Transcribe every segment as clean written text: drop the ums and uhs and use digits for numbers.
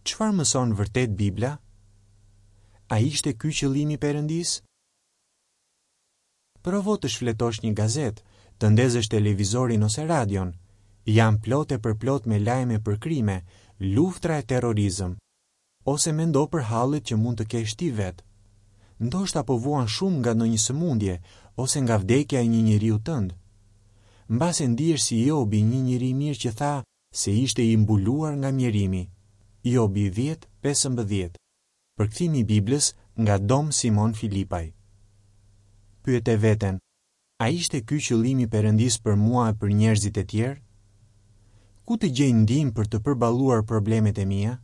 Çfarë mëson vërtet Bibla? A ishte ky qëllimi i Perëndisë? Provo të shfletosh një gazetë, të ndezësh televizorin ose radion. Janë plot e përplot me lajme për krime, luftra e terrorizëm. Ose mendo për hallet që mund të kesh ti vetë. Ndoshta po vuan shumë nga ndonjë sëmundje ose nga vdekja e një njeriu tënd. Mbase ndihesh si Jobi, një njeri i mirë që tha se ishte i mbuluar nga mjerimi. Jobi 10, 15. Përkthimi i Biblës nga Dom Simon Filipaj. Pyete veten, a ishte ky qëllimi i Perëndisë për mua e për njerëzit e tjerë? Ku të gjej ndihmë për të përballuar problemet e mia?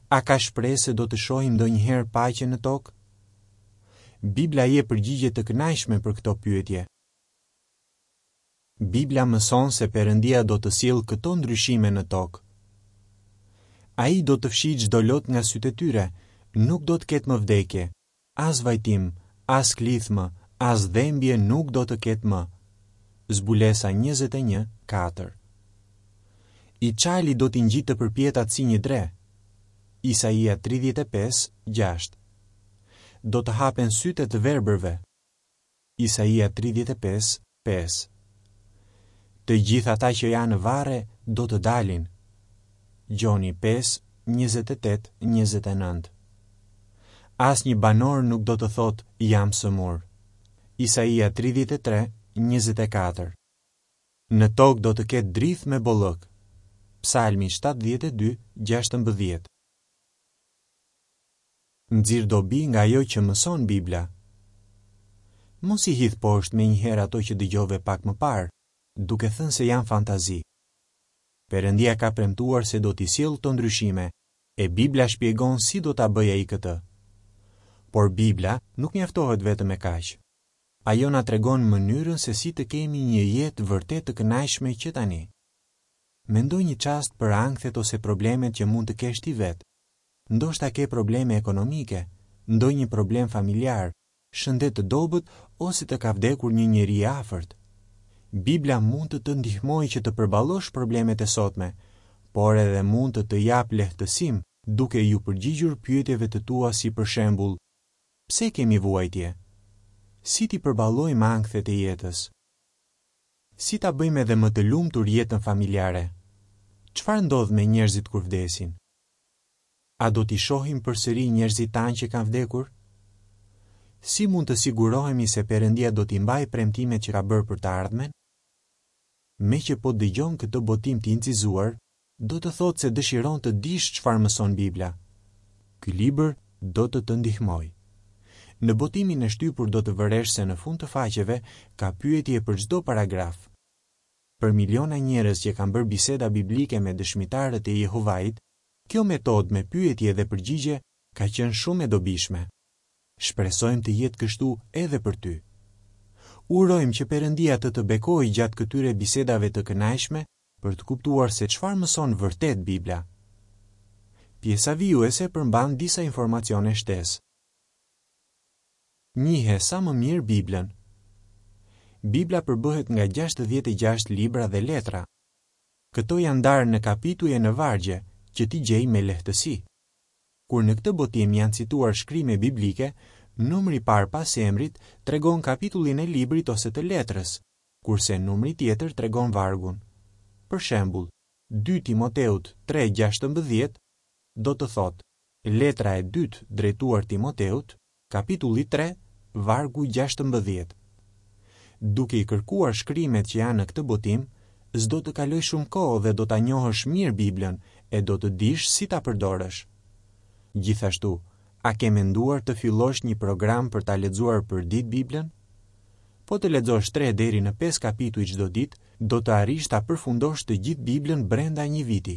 A ka shpresë se do të shohim ndonjëherë paqe në tokë? Bibla jep përgjigje të kënaqshme për këto pyetje. Bibla mëson se Perëndia do të sjellë këto ndryshime në tokë. Ai do të fshijë çdo lot nga sytë e tyre, nuk do të ketë më vdekje, as vajtim, as klithmë, as dhembje nuk do të ketë më. Zbulesa 21, 4 I çali do t'i ngjitë të përpjetat si një dre. Isaia 35, 6 Do të hapen sytë e të verbërve. Isaia 35, 5 Të gjithë ata që janë në varre do të dalin. Gjoni 5, 28, 29 Asnjë banor nuk do të thotë jam sëmurë. Isaia 33, 24 Në tokë do të ketë drithë me bollëk. Psalmi 72, 16 Nxirr dobi nga ajo që mëson Bibla. Mos i hidh poshtë menjëherë ato që dëgjove pak më parë, duke thënë se janë fantazi. Perëndia ka premtuar se do t'i sjellë këto ndryshime, e Bibla shpjegon si do ta bëjë ai këtë. Por Bibla nuk mjaftohet vetëm me kaq. Ajo na tregon mënyrën se si të kemi një jetë vërtet të kënaqshme që tani. Mendo një çast për ankthet ose problemet që mund të kesh ti vetë. Ndoshta ke probleme ekonomike, ndonjë problem familjar, shëndet të dobët ose të ka vdekur një njeri i afërt. Bibla mund të të ndihmojë që të përballosh problemet e sotme, por edhe mund të të japë lehtësim duke iu përgjigjur pyetjeve të tua si për shembull, pse kemi vuajtje? Si t'i përballojmë ankthet e jetës? Si ta bëjmë edhe më të lumtur jetën familjare? Çfarë ndodh me njerëzit kur vdesin? A do t'i shohim përsëri njerëzit tanë që kanë vdekur? Si mund të sigurohemi se Perëndia do t'i mbajë premtimet që ka bërë për të ardhmen? Meqë po dëgjon këtë botim të incizuar, do të thotë se dëshiron të dish çfarë mëson Bibla. Ky libër do të të ndihmojë. Në botimin e shtypur do të vëresh se në fund të faqeve ka pyetje për çdo paragraf. Për miliona njerëz që kanë bërë biseda biblike me dëshmitarët e Jehovait, kjo metodë me pyetje dhe përgjigje ka qenë shumë e dobishme. Shpresojmë të jetë kështu edhe për ty. Urojmë që Perëndia të të bekojë gjatë këtyre bisedave të kënaqshme për të kuptuar se çfarë mëson vërtet Bibla. Pjesa vijuese përmban disa informacione shtesë. Njihe sa më mirë Biblën. Bibla përbëhet nga 66 libra dhe letra. Këto janë ndarë në kapituj e në vargje, që t'i gjejmë me lehtësi. Kur në këtë botim janë cituar shkrime biblike, numri i parë pas emrit tregon kapitullin e librit ose të letrës, kurse numri tjetër tregon vargun. Për shembull, 2 Timoteut 3:16 do të thotë letra e dytë drejtuar Timoteut, Kapitulli 3, vargu 16. Duke i kërkuar shkrimet që janë në këtë botim, s'do të kalojë shumë kohë dhe do ta njohësh mirë Biblën e do të dish si ta përdorësh. Gjithashtu, a ke menduar të fillosh një program për ta lexuar përditë Biblën? Po të lexosh 3 deri në 5 kapituj çdo ditë, do të arrish ta përfundosh të gjithë Biblën brenda një viti.